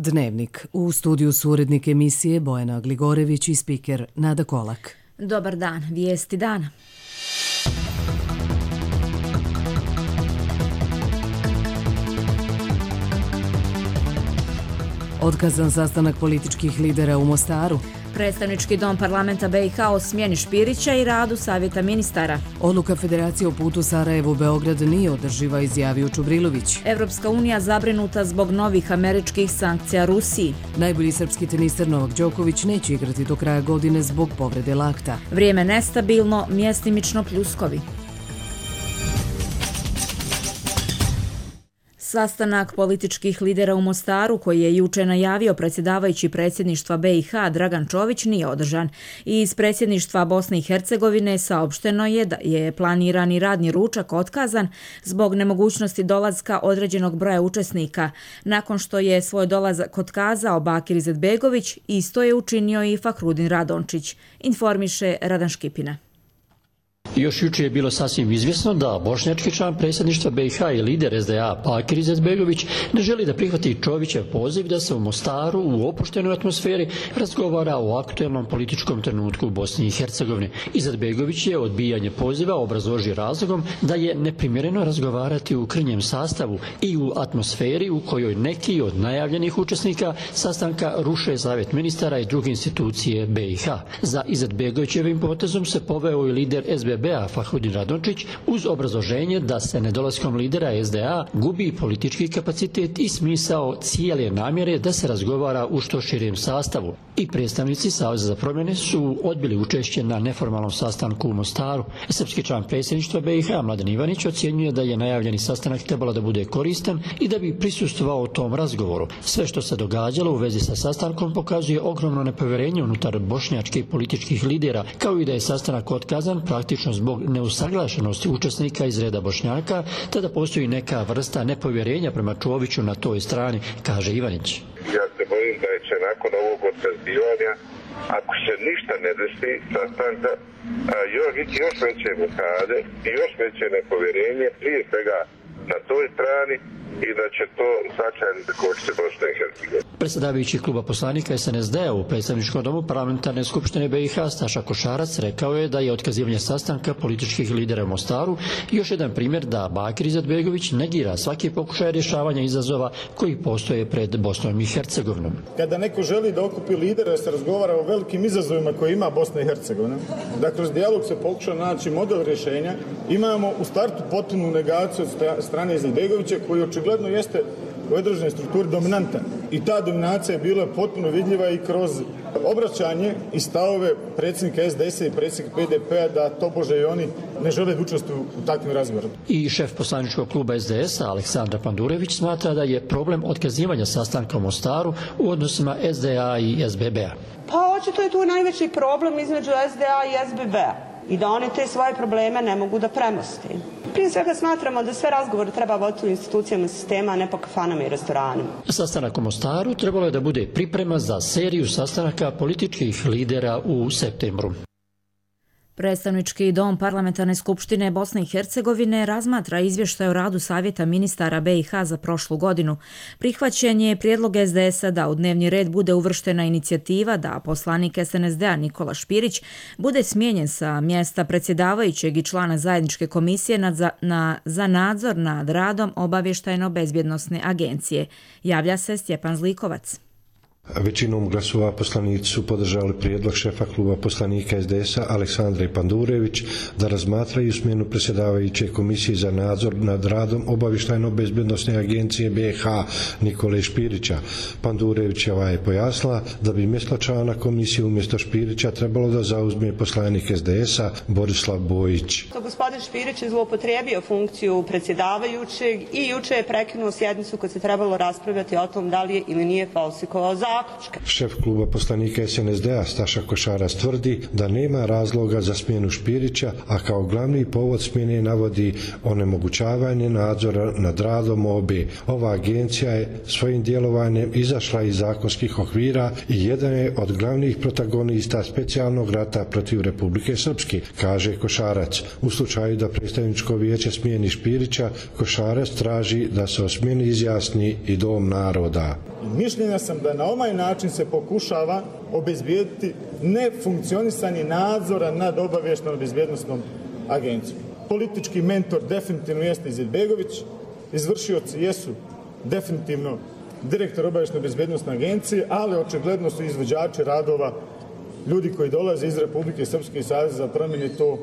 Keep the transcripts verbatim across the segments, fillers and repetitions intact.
Dnevnik. U studiju su urednik emisije Bojana Gligorević i spiker Nada Kolak. Dobar dan, vijesti dana. Otkazan sastanak političkih lidera u Mostaru. Predstavnički dom parlamenta B i H o smjeni Špirića i radu savjeta ministara. Odluka Federacije o putu Sarajevo-Beograd nije održiva, izjavio Čubrilović. Evropska unija zabrinuta zbog novih američkih sankcija Rusiji. Najbolji srpski teniser Novak Đoković neće igrati do kraja godine zbog povrede lakta. Vrijeme nestabilno, mjestimično pljuskovi. Sastanak političkih lidera u Mostaru, koji je juče najavio predsjedavajući predsjedništva B i H Dragan Čović, nije održan. Iz predsjedništva Bosne i Hercegovine saopšteno je da je planirani radni ručak otkazan zbog nemogućnosti dolaska određenog broja učesnika. Nakon što je svoj dolazak otkazao Bakir Izetbegović, isto je učinio i Fahrudin Radončić, informiše Radan Škipina. Još jučer je bilo sasvim izvjesno da bošnjački član predsjedništva B i H i lider S D A Bakir Izetbegović ne želi da prihvati Čovićev poziv da se u Mostaru u opuštenoj atmosferi razgovara o aktuelnom političkom trenutku u Bosni i Hercegovini. Izetbegović je odbijanje poziva obrazložio razlogom da je neprimjereno razgovarati u krnjem sastavu i u atmosferi u kojoj neki od najavljenih učesnika sastanka ruše savjet ministara i druge institucije B i H. Za Izetbegovićevim potezom se poveo i lider S B B-a Fahrudin Radončić uz obrazloženje da se nedolaskom lidera S D A gubi politički kapacitet i smisao cijele namjere da se razgovara u što širem sastavu. I predstavnici Saveza za promjene su odbili učešće na neformalnom sastanku u Mostaru. Srpski član predsjedništva B i H Mladen Ivanić ocjenjuje da je najavljeni sastanak trebalo da bude koristan i da bi prisustvovao tom razgovoru. Sve što se događalo u vezi sa sastankom pokazuje ogromno nepovjerenje unutar bošnjačkih političkih lidera, kao i da je sastanak otkazan praktično zbog neusaglašenosti učesnika iz reda Bošnjaka, te da postoji neka vrsta nepovjerenja prema Čoviću na toj strani, kaže Ivanić. Ja se bojim da će nakon ovog otkazivanja, ako se ništa ne desi sastanka, još, još veće blokade i još veće nepovjerenje, prije svega na toj strani, i da će to značajno zakočiti Bosne i Hercegovine. Predsjedavajući kluba poslanika S N S D-a u predstavničkom domu parlamentarne skupštine B i H Staša Košarac rekao je da je otkazivanje sastanka političkih lidera u Mostaru još jedan primjer da Bakir Izetbegović negira svaki pokušaj rješavanja izazova koji postoje pred Bosnom i Hercegovinom. Kada neko želi da okupi lidera, se razgovara o velikim izazovima koje ima Bosna i Hercegovina, da kroz dijalog se pokuša naći model rješenja, imamo u startu potpunu negaciju od strane Izetbegovića koji očigledno jeste u određenoj strukturi dominantan. I ta dominacija je bila potpuno vidljiva i kroz obraćanje i stavove predsjednika S D S-a i predsjednika P D P-a da tobože i oni ne žele da učestvuju u takvim razgovorima. I šef poslaničkog kluba S D S-a Aleksandar Pandurević smatra da je problem otkazivanja sastanka u Mostaru u odnosima S D A i S B B-a. Pa očito je tu najveći problem između S D A i S B B-a i da oni te svoje probleme ne mogu da premosti. Prije svega smatramo da sve razgovore treba voditi u institucijama sistema, a ne po kafanama i restoranima. Sastanak u Mostaru trebalo je da bude priprema za seriju sastanaka političkih lidera u septembru. Predstavnički dom parlamentarne skupštine Bosne i Hercegovine razmatra izvještaj o radu savjeta ministara B i H za prošlu godinu. Prihvaćen je prijedlog S D S-a da u dnevni red bude uvrštena inicijativa da poslanik S N S D-a Nikola Špirić bude smijenjen sa mjesta predsjedavajućeg i člana zajedničke komisije na, na, za nadzor nad radom obavještajno-bezbjednosne agencije. Javlja se Stjepan Zlikovac. Većinom glasova poslanici su podržali prijedlog šefa kluba poslanika S D S-a Aleksandra Pandurević da razmatraju smjenu predsjedavajuće komisije za nadzor nad radom obavještajno-bezbjednosne agencije B i H Nikole Špirića. Pandurevićeva je pojasnila da bi mjesto člana komisije umjesto Špirića trebalo da zauzme poslanik S D S-a Borislav Bojić. Gospodin Špirić je zloupotrijebio funkciju predsjedavajućeg i juče je prekinuo sjednicu kad se trebalo raspravljati o tom da li je ili nije falsikovao zakon. Šef kluba poslanika S N S D-a Staša Košarac tvrdi da nema razloga za smjenu Špirića, a kao glavni povod smjene navodi onemogućavanje nadzora nad radom O B. Ova agencija je svojim djelovanjem izašla iz zakonskih okvira i jedan je od glavnih protagonista specijalnog rata protiv Republike Srpske, kaže Košarac. U slučaju da predstavničko vijeće smijeni Špirića, Košarac traži da se o smjeni izjasni i Dom naroda. mišljenja sam da na ovaj način se pokušava obezbijediti nefunkcionisanje nadzora nad obavještajnom bezbjednosnom agencijom. Politički mentor definitivno jeste Izetbegović, izvršioci jesu definitivno direktor obavještajne bezbjednosne agencije, ali očigledno su izvođači radova ljudi koji dolaze iz Republike Srpske i Saveza za promjene. To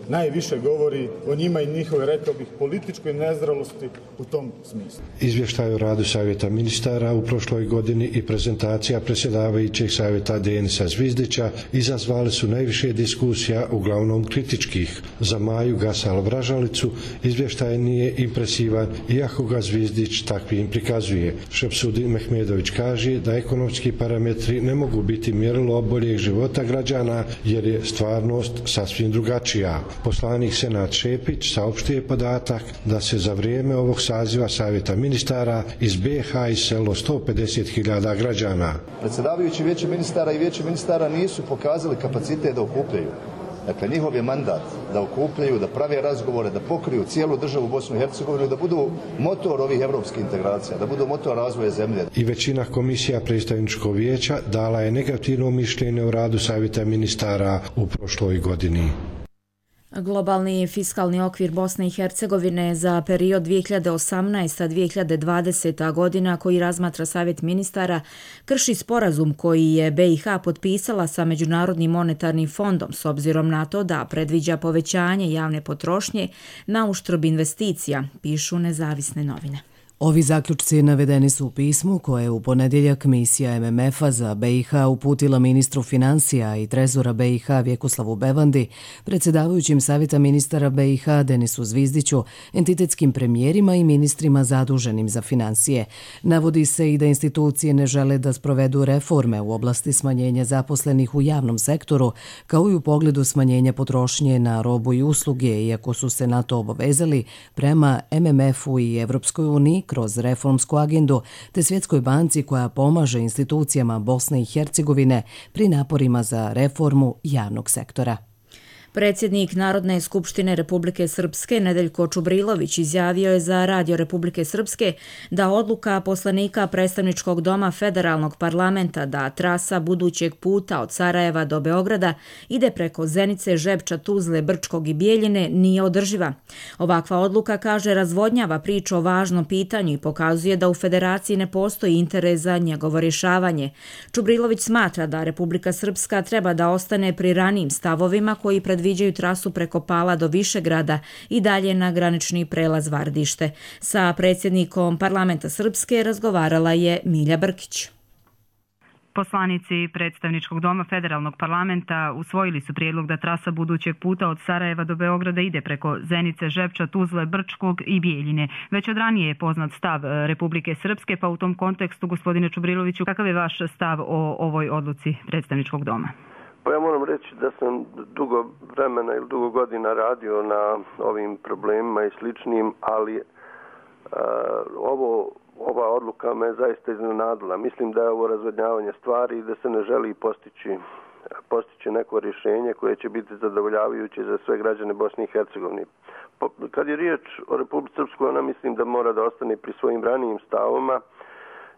najviše govori o njima i njihove, rekao bih, političkoj nezralosti u tom smislu. Izvještaj o radu Savjeta ministara u prošloj godini i prezentacija predsjedavajućeg savjeta Denisa Zvizdića izazvali su najviše diskusija, uglavnom kritičkih. Za Maju Gasal-Vražalicu izvještaj nije impresivan, iako ga Zvizdić takvim prikazuje. Šepsudin Mehmedović kaže da ekonomski parametri ne mogu biti mjerilo boljeg života građana, jer je stvarnost sasvim drugačija. Poslanik Senad Šepić saopštio podatak da se za vrijeme ovog saziva Savjeta ministara iz B H iselilo sto pedeset hiljada građana. Predsjedavajući Vijeće ministara i Vijeće ministara nisu pokazali kapacitet da okupljaju. Dakle, njihov je mandat da okupljaju, da prave razgovore, da pokriju cijelu državu Bosnu i Hercegovinu, da budu motor ovih evropskih integracija, da budu motor razvoja zemlje. I većina komisija predstavničkog vijeća dala je negativno mišljenje o radu Savjeta ministara u prošloj godini. Globalni fiskalni okvir Bosne i Hercegovine za period dvije hiljade osamnaesta do dvije hiljade dvadesete. godina, koji razmatra Savjet ministara, krši sporazum koji je B i H potpisala sa Međunarodnim monetarnim fondom s obzirom na to da predviđa povećanje javne potrošnje na uštrb investicija, pišu nezavisne novine. Ovi zaključci navedeni su u pismu koje je u ponedjeljak misija M M F-a za B i H uputila ministru financija i trezora B i H Vjekoslavu Bevandi, predsjedavajućim Savjeta ministara B i H Denisu Zvizdiću, entitetskim premijerima i ministrima zaduženim za financije. Navodi se i da institucije ne žele da sprovedu reforme u oblasti smanjenja zaposlenih u javnom sektoru, kao i u pogledu smanjenja potrošnje na robu i usluge, iako su se na to obavezali prema M M F-u i Evropskoj uniji kroz reformsku agendu, te Svjetskoj banci koja pomaže institucijama Bosne i Hercegovine pri naporima za reformu javnog sektora. Predsjednik Narodne skupštine Republike Srpske Nedeljko Čubrilović izjavio je za Radio Republike Srpske da odluka poslanika predstavničkog doma Federalnog parlamenta da trasa budućeg puta od Sarajeva do Beograda ide preko Zenice, Žepča, Tuzle, Brčkog i Bijeljine nije održiva. Ovakva odluka, kaže, razvodnjava priču o važnom pitanju i pokazuje da u Federaciji ne postoji interes za njegovo rješavanje. Čubrilović smatra da Republika Srpska treba da ostane pri ranijim stavovima koji pred predviđaju trasu preko Pala do Višegrada i dalje na granični prelaz Vardište. Sa predsjednikom parlamenta Srpske razgovarala je Milja Brkić. Poslanici predstavničkog doma Federalnog parlamenta usvojili su prijedlog da trasa budućeg puta od Sarajeva do Beograda ide preko Zenice, Žepča, Tuzle, Brčkog i Bijeljine. Već od ranije je poznat stav Republike Srpske, pa u tom kontekstu, gospodine Čubriloviću, kakav je vaš stav o ovoj odluci predstavničkog doma? Pa ja moram reći da sam dugo vremena ili dugo godina radio na ovim problemima i sličnim, ali uh, ovo, ova odluka me zaista iznenadila. Mislim da je ovo razvodnjavanje stvari i da se ne želi postići, postići neko rješenje koje će biti zadovoljavajuće za sve građane Bosne i Hercegovine. Kad je riječ o Republici Srpskoj, ona mislim da mora da ostane pri svojim ranijim stavovima,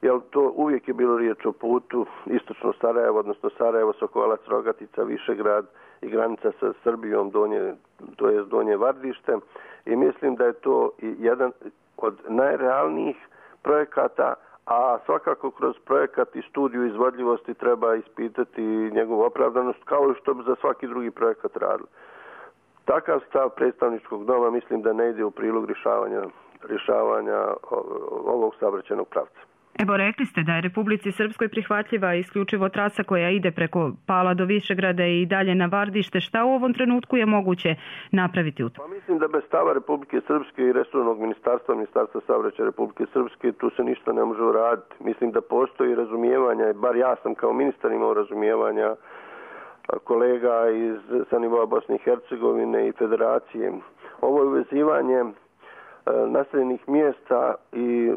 jer to uvijek je bilo riječ o putu istočno Sarajevo, odnosno Sarajevo, Sokolac, Rogatica, Višegrad i granica sa Srbijom, donje, to je donje Vardište. I mislim da je to jedan od najrealnijih projekata, a svakako kroz projekat i studiju izvodljivosti treba ispitati njegovu opravdanost, kao i što bi za svaki drugi projekat radili. Takav stav predstavničkog doma mislim da ne ide u prilog rješavanja, rješavanja ovog saobraćajnog pravca. Evo, rekli ste da je Republici Srpskoj prihvatljiva isključivo trasa koja ide preko Pala do Višegrada i dalje na Vardište. Šta u ovom trenutku je moguće napraviti u tom? Pa mislim da bez stava Republike Srpske i resornog ministarstva, ministarstva saobraćaja Republike Srpske, tu se ništa ne može uraditi. Mislim da postoji razumijevanja, bar ja sam kao ministar imao razumijevanja kolega iz, sa nivoa Bosne i Hercegovine i Federacije. Ovo je uvezivanje naseljenih mjesta i e,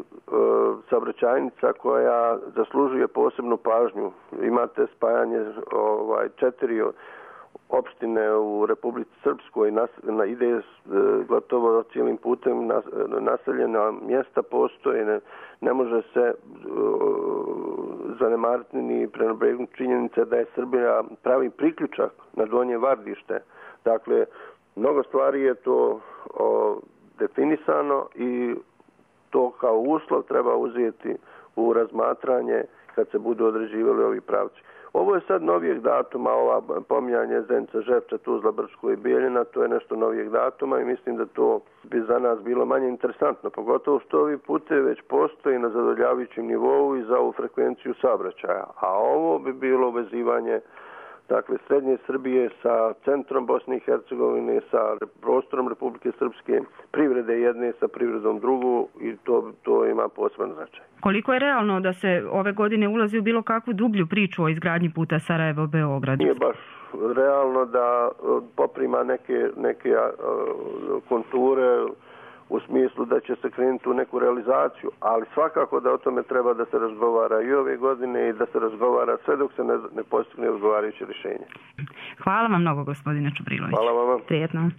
saobraćajnica koja zaslužuje posebnu pažnju. Imate spajanje ovaj, četiri opštine u Republici Srpskoj, nas, na, ide e, gotovo cijelim putem nas, naseljena mjesta postoje, ne, ne može se e, zanemariti ni prenebregnuti činjenice da je Srbija pravi priključak na Donje Vardište. Dakle, mnogo stvari je to o, definisano i to kao uslov treba uzeti u razmatranje kad se budu određivali ovi pravci. Ovo je sad novijeg datuma, ova pominjanje Zenica, Žepča, Tuzla, Brčko i Bijeljina, to je nešto novijeg datuma i mislim da to bi za nas bilo manje interesantno, pogotovo što ovi putevi već postoji na zadovoljavajućem nivou i za ovu frekvenciju saobraćaja. A ovo bi bilo vezivanje dakle, srednje Srbije sa centrom Bosne i Hercegovine, sa prostorom Republike Srpske, privrede jedne sa privredom drugu i to, to ima poseban značaj. Koliko je realno da se ove godine ulazi u bilo kakvu dublju priču o izgradnji puta Sarajevo-Beograd? Nije baš realno da poprima neke, neke konture u smislu da će se krenuti u neku realizaciju, ali svakako da o tome treba da se razgovara i ove godine i da se razgovara sve dok se ne, ne postigne odgovarajuće rješenje. Hvala vam mnogo, gospodine Čubrilović. Hvala vam. Prijetno.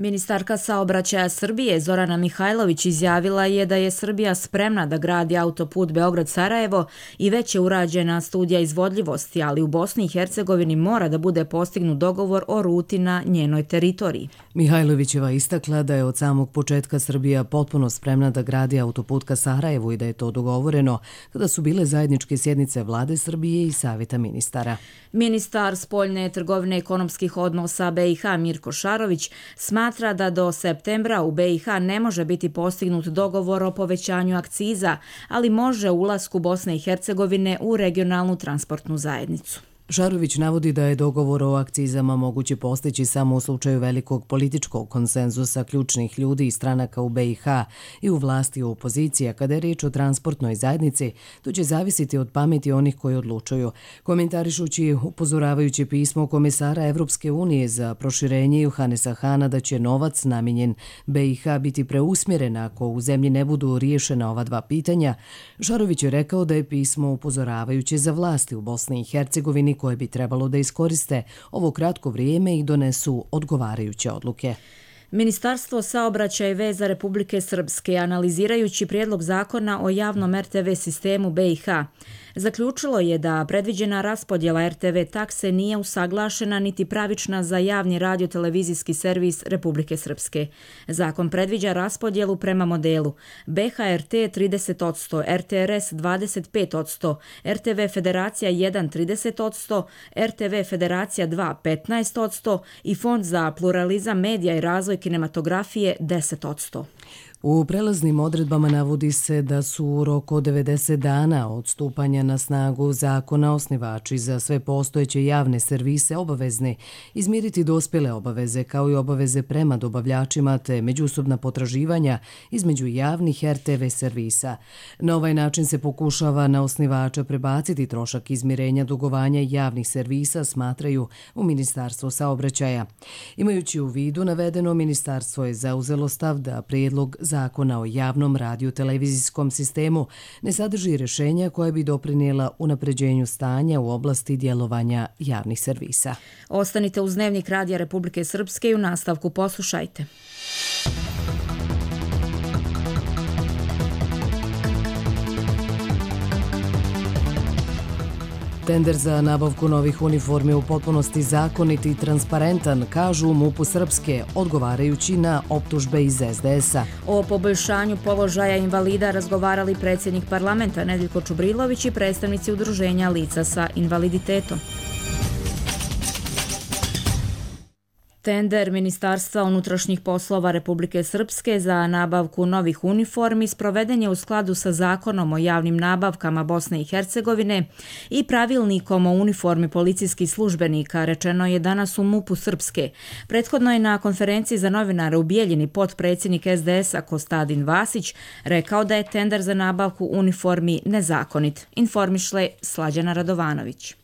Ministarka saobraćaja Srbije Zorana Mihajlović izjavila je da je Srbija spremna da gradi autoput Beograd-Sarajevo i već je urađena studija izvodljivosti, ali u Bosni i Hercegovini mora da bude postignut dogovor o ruti na njenoj teritoriji. Mihajlovićeva istakla da je od samog početka Srbija potpuno spremna da gradi autoput ka Sarajevu i da je to dogovoreno kada su bile zajedničke sjednice Vlade Srbije i Savjeta ministara. Ministar spoljne trgovine i ekonomskih odnosa B i H Mirko Šarović smatra da do septembra u B i H ne može biti postignut dogovor o povećanju akciza, ali može ulasku Bosne i Hercegovine u regionalnu transportnu zajednicu. Šarović navodi da je dogovor o akcizama moguće postići samo u slučaju velikog političkog konsenzusa ključnih ljudi i stranaka u B i H i u vlasti i u opoziciji, a kada je riječ o transportnoj zajednici, to će zavisiti od pameti onih koji odlučuju. Komentarišući upozoravajući pismo komesara Evropske unije za proširenje Johanesa Hana da će novac namijenjen B i H biti preusmjeren ako u zemlji ne budu riješena ova dva pitanja, Šarović je rekao da je pismo upozoravajuće za vlasti u Bosni i Hercegovini koje bi trebalo da iskoriste ovo kratko vrijeme i donesu odgovarajuće odluke. Ministarstvo saobraćaja i veza Republike Srpske, analizirajući prijedlog zakona o javnom R T V sistemu B i H, zaključilo je da predviđena raspodjela R T V takse nije usaglašena niti pravična za javni radio-televizijski servis Republike Srpske. Zakon predviđa raspodjelu prema modelu B H R T trideset posto, R T R S dvadeset pet posto, R T V Federacija jedan trideset posto, R T V Federacija dva petnaest posto i Fond za pluralizam medija i razvoj kinematografije deset posto. U prelaznim odredbama navodi se da su u roku od devedeset dana od stupanja na snagu zakona osnivači za sve postojeće javne servise obavezni izmiriti dospjele obaveze kao i obaveze prema dobavljačima te međusobna potraživanja između javnih R T V servisa. Na ovaj način se pokušava na osnivača prebaciti trošak izmirenja dugovanja javnih servisa, smatraju u Ministarstvu saobraćaja. Imajući u vidu navedeno, ministarstvo je zauzelo stav da prijedlog Zakona o javnom radio-televizijskom sistemu ne sadrži rješenja koja bi doprinijela unapređenju stanja u oblasti djelovanja javnih servisa. Ostanite uz Dnevnik Radija Republike Srpske i u nastavku poslušajte. Tender za nabavku novih uniformi u potpunosti zakonit i transparentan, kažu u MUP-u Srpske, odgovarajući na optužbe iz S D S-a. O poboljšanju položaja invalida razgovarali predsjednik parlamenta Nedeljko Čubrilović i predstavnici udruženja lica sa invaliditetom. Tender Ministarstva unutrašnjih poslova Republike Srpske za nabavku novih uniformi sproveden je u skladu sa Zakonom o javnim nabavkama Bosne i Hercegovine i pravilnikom o uniformi policijskih službenika, rečeno je danas u MUP-u Srpske. Prethodno je na konferenciji za novinare u Bijeljini potpredsjednik S D S-a Kostadin Vasić rekao da je tender za nabavku uniformi nezakonit. Informiše Slađana Radovanović.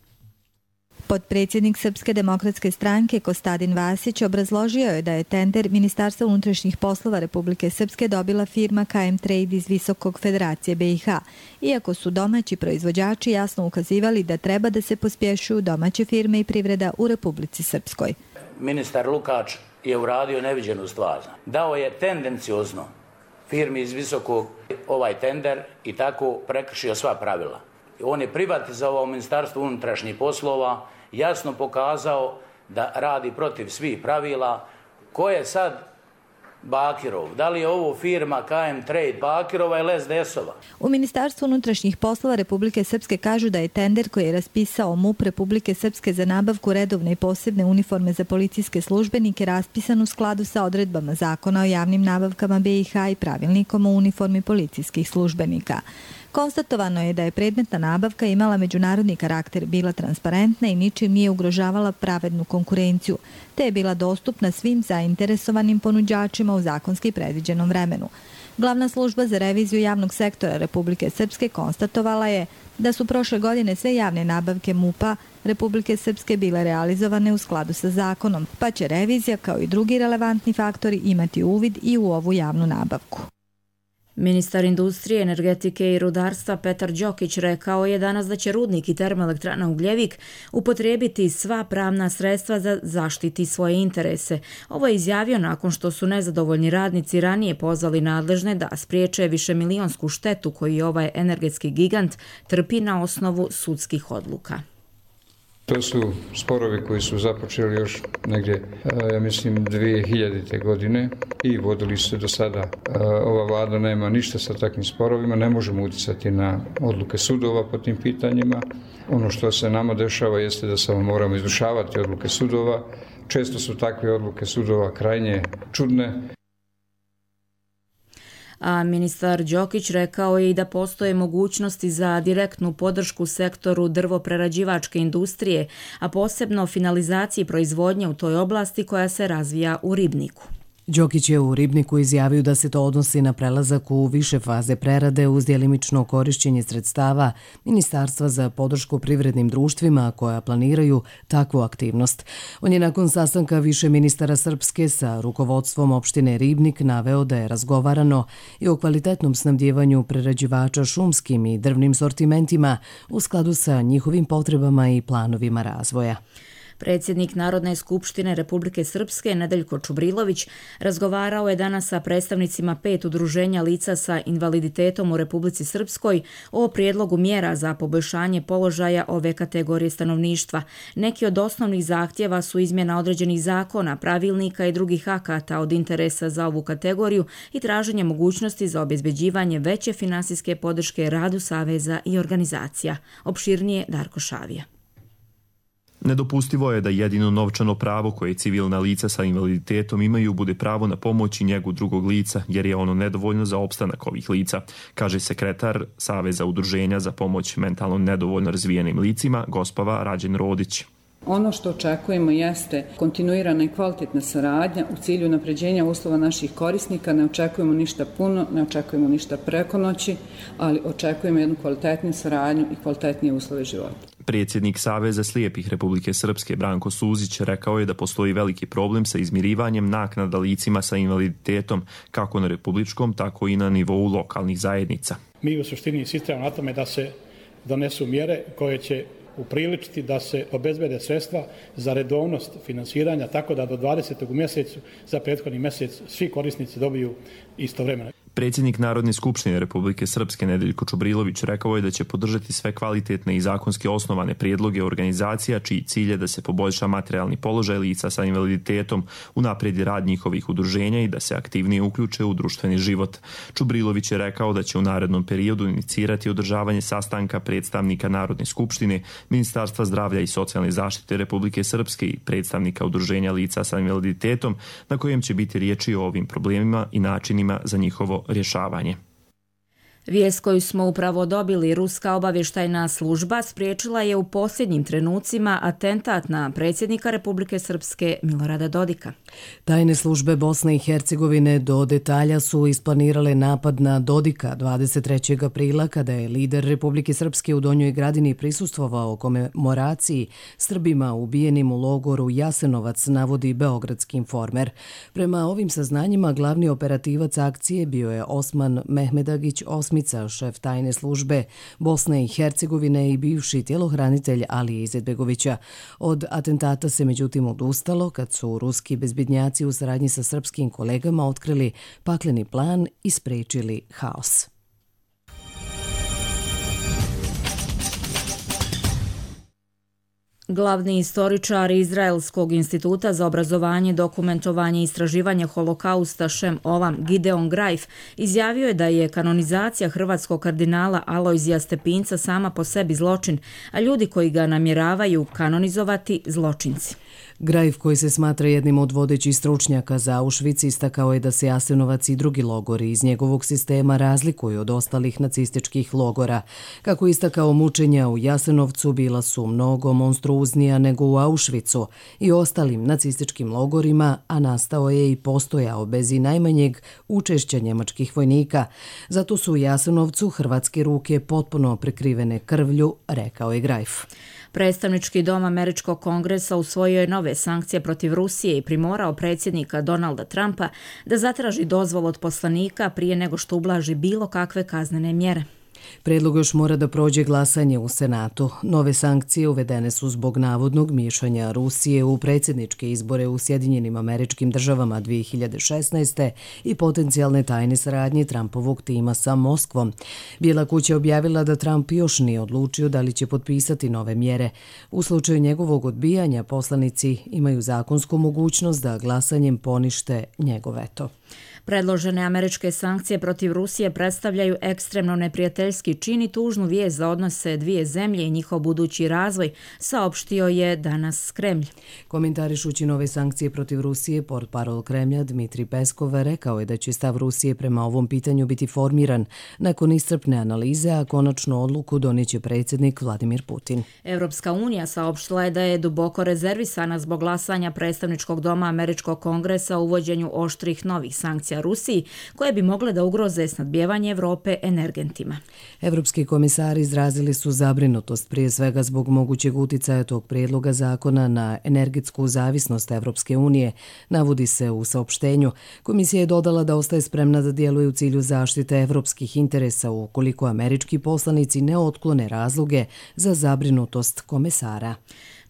Potpredsjednik Srpske demokratske stranke Kostadin Vasić obrazložio je da je tender Ministarstva unutrašnjih poslova Republike Srpske dobila firma K M Trade iz Visokog Federacije B i H, iako su domaći proizvođači jasno ukazivali da treba da se pospješuju domaće firme i privreda u Republici Srpskoj. Ministar Lukač je uradio neviđenu stvar. Dao je tendenciozno firmi iz Visokog ovaj tender i tako prekršio sva pravila. on je privatizovao Ministarstvo unutrašnjih poslova, jasno pokazao da radi protiv svih pravila. Ko je sad Bakirov? Da li je ovo firma K M Trade Bakirova ili S D S-ova? U Ministarstvu unutrašnjih poslova Republike Srpske kažu da je tender koji je raspisao M U P Republike Srpske za nabavku redovne i posebne uniforme za policijske službenike raspisan u skladu sa odredbama Zakona o javnim nabavkama B i H i pravilnikom o uniformi policijskih službenika. Konstatovano je da je predmetna nabavka imala međunarodni karakter, bila transparentna i ničim nije ugrožavala pravednu konkurenciju, te je bila dostupna svim zainteresovanim ponuđačima u zakonski predviđenom vremenu. Glavna služba za reviziju javnog sektora Republike Srpske konstatovala je da su prošle godine sve javne nabavke M U P-a Republike Srpske bile realizovane u skladu sa zakonom, pa će revizija kao i drugi relevantni faktori imati uvid i u ovu javnu nabavku. Ministar industrije, energetike i rudarstva Petar Đokić rekao je danas da će rudnik i termoelektrana Ugljevik upotrijebiti sva pravna sredstva za zaštiti svoje interese. Ovo je izjavio nakon što su nezadovoljni radnici ranije pozvali nadležne da spriječe višemilionsku štetu koju ovaj energetski gigant trpi na osnovu sudskih odluka. To su sporovi koji su započeli još negdje, ja mislim, dvije hiljadite godine i vodili se do sada. Ova vlada nema ništa sa takvim sporovima, ne možemo utjecati na odluke sudova po tim pitanjima. Ono što se nama dešava jeste da samo moramo izvršavati odluke sudova. Često su takve odluke sudova krajnje čudne. A ministar Đokić rekao je i da postoje mogućnosti za direktnu podršku sektoru drvoprerađivačke industrije, a posebno finalizaciji proizvodnje u toj oblasti koja se razvija u Ribniku. Đokić je u Ribniku izjavio da se to odnosi na prelazak u više faze prerade uz djelimično korišćenje sredstava Ministarstva za podršku privrednim društvima koja planiraju takvu aktivnost. On je nakon sastanka više ministara Srpske sa rukovodstvom opštine Ribnik naveo da je razgovarano i o kvalitetnom snabdjevanju prerađivača šumskim i drvnim sortimentima u skladu sa njihovim potrebama i planovima razvoja. Predsjednik Narodne skupštine Republike Srpske Nedeljko Čubrilović razgovarao je danas sa predstavnicima pet udruženja lica sa invaliditetom u Republici Srpskoj o prijedlogu mjera za poboljšanje položaja ove kategorije stanovništva. Neki od osnovnih zahtjeva su izmjena određenih zakona, pravilnika i drugih akata od interesa za ovu kategoriju i traženje mogućnosti za obezbeđivanje veće finansijske podrške radu saveza i organizacija. Opširnije Darko Šavija. Nedopustivo je da jedino novčano pravo koje civilna lica sa invaliditetom imaju bude pravo na pomoć i njegu drugog lica, jer je ono nedovoljno za opstanak ovih lica, kaže sekretar Saveza udruženja za pomoć mentalno nedovoljno razvijenim licima, Gospava Rađen Rodić. Ono što očekujemo jeste kontinuirana i kvalitetna saradnja u cilju unapređenja uslova naših korisnika. Ne očekujemo ništa puno, ne očekujemo ništa preko noći, ali očekujemo jednu kvalitetnu saradnju i kvalitetnije uslove života. Predsjednik Saveza slijepih Republike Srpske Branko Suzić rekao je da postoji veliki problem sa izmirivanjem naknada licima sa invaliditetom kako na republičkom, tako i na nivou lokalnih zajednica. Mi u suštini insistiramo na tome da se donesu mjere koje će upriličiti da se obezbede sredstva za redovnost finansiranja tako da do dvadesetog u mjesecu za prethodni mjesec svi korisnici dobiju istovremeno. Predsjednik Narodne skupštine Republike Srpske Nedeljko Čubrilović rekao je da će podržati sve kvalitetne i zakonski osnovane prijedloge organizacija čiji cilj je da se poboljša materijalni položaj lica sa invaliditetom, unaprijedi rad njihovih udruženja i da se aktivnije uključe u društveni život. Čubrilović je rekao da će u narednom periodu inicirati održavanje sastanka predstavnika Narodne skupštine, Ministarstva zdravlja i socijalne zaštite Republike Srpske i predstavnika udruženja lica sa invaliditetom, na kojem će biti riječi o ovim problemima i načinima za njihovo rješavanje. Vijest koju smo upravo dobili, ruska obavještajna služba spriječila je u posljednjim trenucima atentat na predsjednika Republike Srpske Milorada Dodika. Tajne službe Bosne i Hercegovine do detalja su isplanirale napad na Dodika dvadeset trećeg aprila kada je lider Republike Srpske u Donjoj Gradini prisustvovao komemoraciji Srbima ubijenim u logoru Jasenovac, navodi beogradski Informer. Prema ovim saznanjima glavni operativac akcije bio je Osman Mehmedagić Osmica, šef tajne službe Bosne i Hercegovine i bivši tjelohranitelj Alije Izetbegovića. Od atentata se međutim odustalo kad su ruski bezbednjaci u saradnji sa srpskim kolegama otkrili pakleni plan i spriječili haos. Glavni istoričar Izraelskog instituta za obrazovanje, dokumentovanje i istraživanje holokausta Šem Olam Gideon Greif izjavio je da je kanonizacija hrvatskog kardinala Alojzija Stepinca sama po sebi zločin, a ljudi koji ga namjeravaju kanonizovati zločinci. Greif, koji se smatra jednim od vodećih stručnjaka za Auschwitz, istakao je da se Jasenovac i drugi logori iz njegovog sistema razlikuju od ostalih nacističkih logora. Kako istakao, mučenja u Jasenovcu bila su mnogo monstruoznija nego u Auschwitzu i ostalim nacističkim logorima, a nastao je i postojao bez i najmanjeg učešća njemačkih vojnika. Zato su u Jasenovcu hrvatske ruke potpuno prekrivene krvlju, rekao je Greif. Predstavnički dom Američkog kongresa usvojio je nove sankcije protiv Rusije i primorao predsjednika Donalda Trumpa da zatraži dozvolu od poslanika prije nego što ublaži bilo kakve kaznene mjere. Predlog još mora da prođe glasanje u Senatu. Nove sankcije uvedene su zbog navodnog miješanja Rusije u predsjedničke izbore u Sjedinjenim Američkim Državama dvije hiljade šesnaeste. i potencijalne tajne saradnje Trumpovog tima sa Moskvom. Bijela kuća objavila da Trump još nije odlučio da li će potpisati nove mjere. U slučaju njegovog odbijanja poslanici imaju zakonsku mogućnost da glasanjem ponište njegov veto. Predložene američke sankcije protiv Rusije predstavljaju ekstremno neprijateljski čin i tužnu vijest za odnose dvije zemlje i njihov budući razvoj, saopštio je danas Kremlj. Komentarišući nove sankcije protiv Rusije, portparol Kremlja Dmitrij Peskov rekao je da će stav Rusije prema ovom pitanju biti formiran nakon iscrpne analize, a konačnu odluku donijeće predsjednik Vladimir Putin. Evropska unija saopštila je da je duboko rezervisana zbog glasanja predstavničkog doma Američkog kongresa u uvođenju oštrih novih sankcija Rusiji, koje bi mogle da ugroze snabdijevanje Evrope energentima. Evropski komisari izrazili su zabrinutost prije svega zbog mogućeg uticaja tog prijedloga zakona na energetsku zavisnost Evropske unije, navodi se u saopštenju. Komisija je dodala da ostaje spremna da djeluje u cilju zaštite evropskih interesa ukoliko američki poslanici ne otklone razloge za zabrinutost komesara.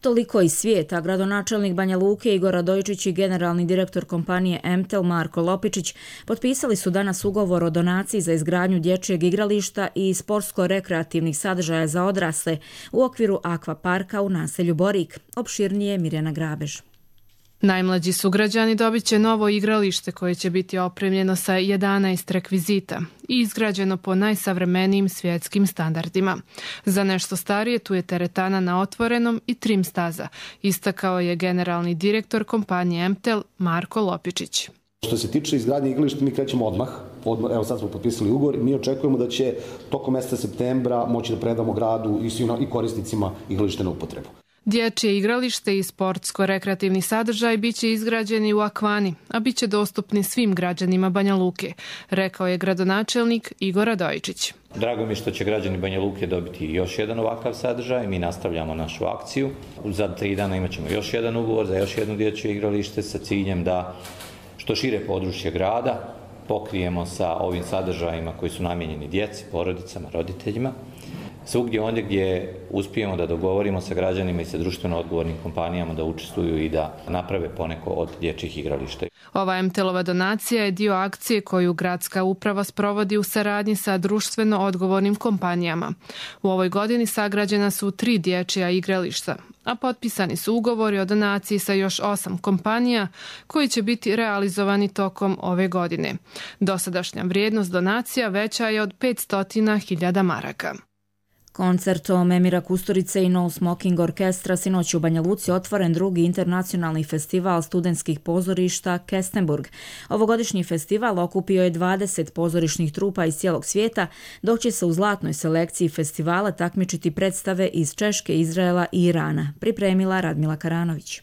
Toliko iz svijeta. Gradonačelnik Banja Luke Igor Radojičić i generalni direktor kompanije Emtel Marko Lopičić potpisali su danas ugovor o donaciji za izgradnju dječjeg igrališta i sportsko-rekreativnih sadržaja za odrasle u okviru akvaparka u naselju Borik. Opširnije Mirjana Grabež. Najmlađi sugrađani dobit će novo igralište koje će biti opremljeno sa jedanaest rekvizita i izgrađeno po najsavremenijim svjetskim standardima. Za nešto starije tu je teretana na otvorenom i trim staza, istakao je generalni direktor kompanije Emtel Marko Lopičić. Što se tiče izgradnje igrališta, mi krećemo odmah. Odmah. Evo sad smo potpisali ugovor i mi očekujemo da će tokom mjeseca septembra moći da predamo gradu i svim i korisnicima igralište na upotrebu. Dječje igralište i sportsko-rekreativni sadržaj bit će izgrađeni u Akvani, a bit će dostupni svim građanima Banja Luke, rekao je gradonačelnik Igor Radojičić. Drago mi je što će građani Banja Luke dobiti još jedan ovakav sadržaj. Mi nastavljamo našu akciju. Za tri dana imat ćemo još jedan ugovor za još jedno dječje igralište sa ciljem da što šire područje grada pokrijemo sa ovim sadržajima koji su namijenjeni djeci, porodicama, roditeljima. Svugdje ondje gdje uspijemo da dogovorimo sa građanima i sa društveno odgovornim kompanijama da učestvuju i da naprave poneko od dječjih igrališta. Ova Emtelova donacija je dio akcije koju gradska uprava sprovodi u saradnji sa društveno odgovornim kompanijama. U ovoj godini sagrađena su tri dječja igrališta, a potpisani su ugovori o donaciji sa još osam kompanija koji će biti realizovani tokom ove godine. Dosadašnja vrijednost donacija veća je od petsto hiljada maraka. Koncertom Emira Kusturice i No Smoking Orkestra sinoć u Banja Luci otvoren drugi internacionalni festival studentskih pozorišta Kestenburg. Ovogodišnji festival okupio je dvadeset pozorišnih trupa iz cijelog svijeta, dok će se u zlatnoj selekciji festivala takmičiti predstave iz Češke, Izraela i Irana, pripremila Radmila Karanović.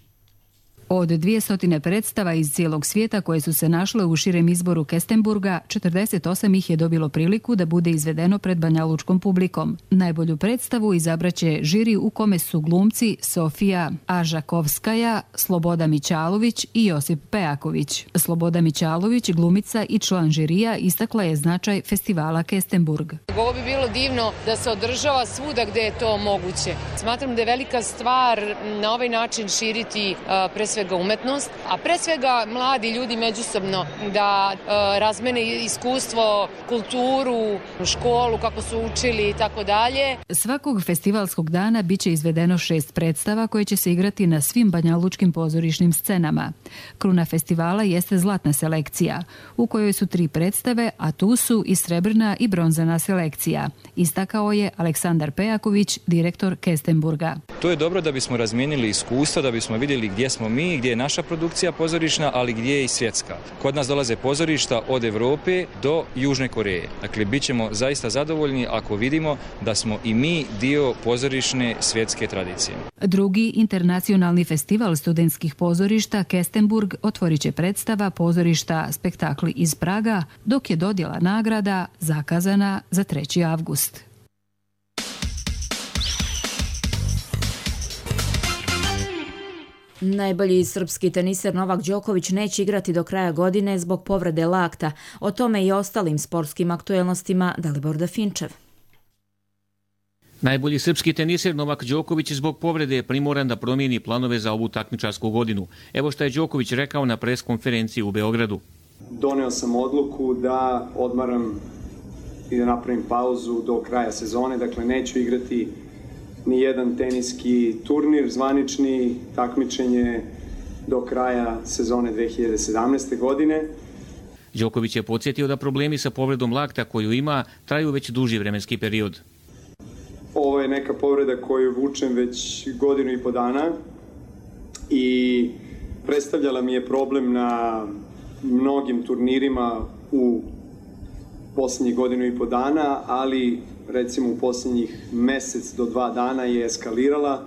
Od dvjesto predstava iz cijelog svijeta koje su se našle u širem izboru Kestenburga, četrdeset osam ih je dobilo priliku da bude izvedeno pred banjalučkom publikom. Najbolju predstavu izabraće žiri u kome su glumci Sofija Ažakovskaja, Sloboda Mićalović i Josip Pejaković. Sloboda Mićalović, glumica i član žirija, istakla je značaj festivala Kestenburg. Ovo bi bilo divno da se održava svuda gdje je to moguće. Smatram da je velika stvar na ovaj način širiti pre sve svega umetnost, a pre svega mladi ljudi međusobno da e, razmene iskustvo, kulturu, školu, kako su učili i tako dalje. Svakog festivalskog dana biće izvedeno šest predstava koje će se igrati na svim banjalučkim pozorišnim scenama. Kruna festivala jeste zlatna selekcija, u kojoj su tri predstave, a tu su i srebrna i bronzana selekcija, istakao je Aleksandar Pejaković, direktor Kestenburga. To je dobro da bismo razmijenili iskustva, da bismo vidjeli gdje smo mi, gdje je naša produkcija pozorišna, ali gdje je i svjetska. Kod nas dolaze pozorišta od Europe do Južne Koreje. Dakle, bit ćemo zaista zadovoljni ako vidimo da smo i mi dio pozorišne svjetske tradicije. Drugi internacionalni festival studentskih pozorišta Kestenburg otvorit će predstava pozorišta Spektakli iz Praga, dok je dodjela nagrada zakazana za treći avgust. Najbolji srpski teniser Novak Đoković neće igrati do kraja godine zbog povrede lakta. O tome i ostalim sportskim aktuelnostima Dalibor Dafinčev. Najbolji srpski teniser Novak Đoković zbog povrede je primoran da promijeni planove za ovu takmičarsku godinu. Evo što je Đoković rekao na pres konferenciji u Beogradu. Doneo sam odluku da odmaram i da napravim pauzu do kraja sezone, dakle neću igrati ni jedan teniski turnir, zvanični takmičenje do kraja sezone dve hiljade sedamnaeste. godine. Đoković je podsjetio da problemi sa povredom lakta koju ima traju već duži vremenski period. Ovo je neka povreda koju vučem već godinu i po dana i predstavljala mi je problem na mnogim turnirima u posljednjih godinu i po dana, ali recimo u posljednjih mesec do dva dana je eskalirala.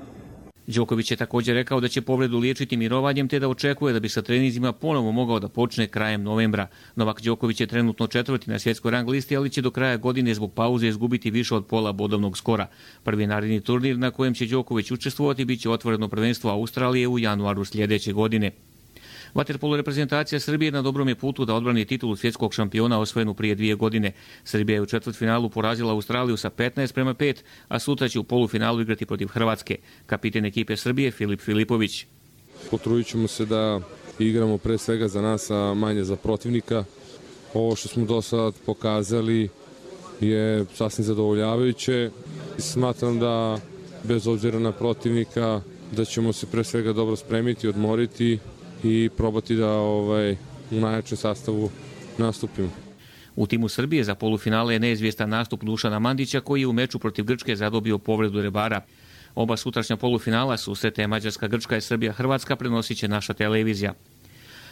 Đoković je također rekao da će povredu liječiti mirovanjem te da očekuje da bi sa treninzima ponovo mogao da počne krajem novembra. Novak Đoković je trenutno četvrti na svjetskoj rang listi, ali će do kraja godine zbog pauze izgubiti više od pola bodovnog skora. Prvi naredni turnir na kojem će Đoković učestvovati biće otvoreno prvenstvo Australije u januaru sljedeće godine. Vaterpolo reprezentacija Srbije na dobrom je putu da odbrani titulu svjetskog šampiona osvojenu prije dvije godine. Srbija je u četvrtfinalu porazila Australiju sa petnaest prema pet, a sutra će u polufinalu igrati protiv Hrvatske. Kapiten ekipe Srbije Filip Filipović. Potrudit ćemo se da igramo pre svega za nas, a manje za protivnika. Ovo što smo do sad pokazali je sasvim zadovoljavajuće. Smatram da bez obzira na protivnika da ćemo se pre svega dobro spremiti, odmoriti i probati da ovaj, u najjačem sastavu nastupimo. U timu Srbije za polufinale je neizvjestan nastup Dušana Mandića koji je u meču protiv Grčke zadobio povredu rebara. Oba sutrašnja polufinala susrete Mađarska, Grčka i Srbija, Hrvatska prenosit će naša televizija.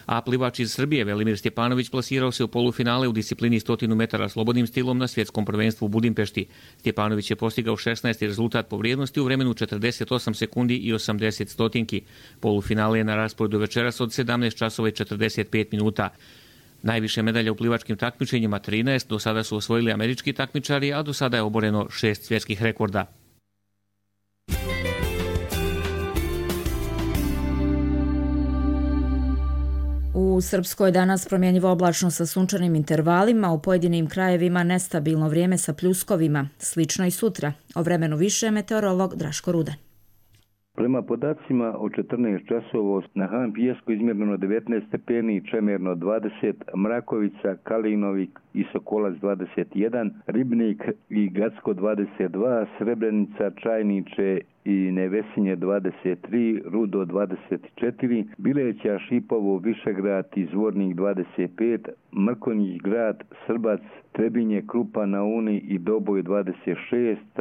A plivač iz Srbije Velimir Stjepanović plasirao se u polufinale u disciplini stotinu metara slobodnim stilom na svjetskom prvenstvu u Budimpešti. Stjepanović je postigao šesnaesti rezultat po vrijednosti u vremenu četrdeset osam sekundi i osamdeset stotinki. Polufinale je na rasporedu večeras od sedamnaest časova i četrdeset pet minuta. Najviše medalja u plivačkim takmičenjima trinaest, do sada su osvojili američki takmičari, a do sada je oboreno šest svjetskih rekorda. U Srpskoj danas promjenjivo oblačno sa sunčanim intervalima, u pojedinim krajevima nestabilno vrijeme sa pljuskovima. Slično i sutra. O vremenu više meteorolog Draško Rudan. Prema podacima od četrnaest časova na Han Pijesku izmjereno devetnaest stepeni, Čemerno dvadeset, Mrakovica, Kalinovik i Sokolac dvadeset jedan, Ribnik i Gacko dvadeset dva, Srebrenica, Čajniče i Nevesinje dvadeset tri, Rudo dvadeset četiri, Bileća, Šipovo, Višegrad i Zvornik dvadeset pet, Mrkonjić grad, Srbac, Trebinje, Krupa na Uni i Doboj dvadeset šest,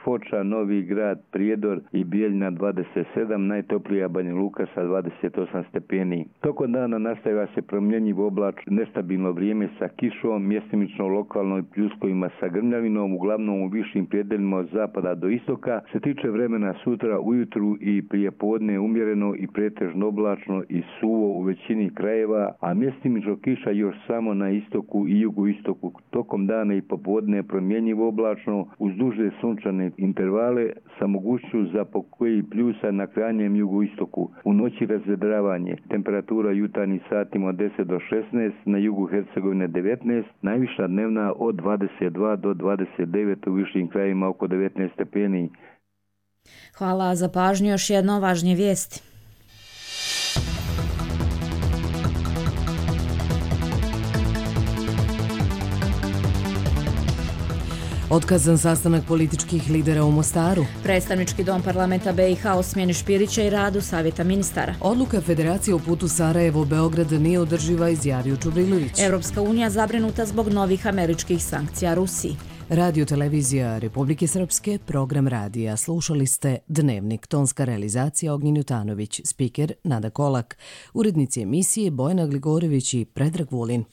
Foča, Novi grad, Prijedor i Bijeljna dvadeset sedam, najtoplija Banja Luka sa dvadeset osam stepeni. Tokom dana nastavlja se promjenjiv oblač, nestabilno vrijeme sa kišom, mjestimično lokalno i pljuskovima sa grmljavinom, uglavnom u višim predeljima od zapada do istoka. Se tiče vremena sutra ujutru i prije podne umjereno i pretežno oblačno i suvo u većini krajeva, a mjestimično kiša još samo na istoku i jugoistoku. Tokom dana i popodne promjenjivo oblačno uz duže sunčane intervale sa mogućnošću za pokoji pljusa na krajnjem jugoistoku. U noći razvedravanje. Temperatura jutarnjih satima od deset do šesnaest, na jugu Hercegovine devetnaest, najviša dnevna od dvadeset dva do dvadeset devet, u višim krajevima oko devetnaest stepeni. Hvala za pažnju, još jedno važnije vijesti. Otkazan sastanak političkih lidera u Mostaru. Predstavnički dom parlamenta B i H o smjeni Špirića i radu Savjeta ministara. Odluka Federacije o putu Sarajevo-Beograd nije održiva, izjavio Čubrilović. Evropska unija zabrinuta zbog novih američkih sankcija Rusiji. Radio televizija Republike Srpske, program radija. Slušali ste Dnevnik, tonska realizacija Ognjen Jutanović, spiker Nada Kolak, urednici emisije Bojana Gligorević i Predrag Vulin.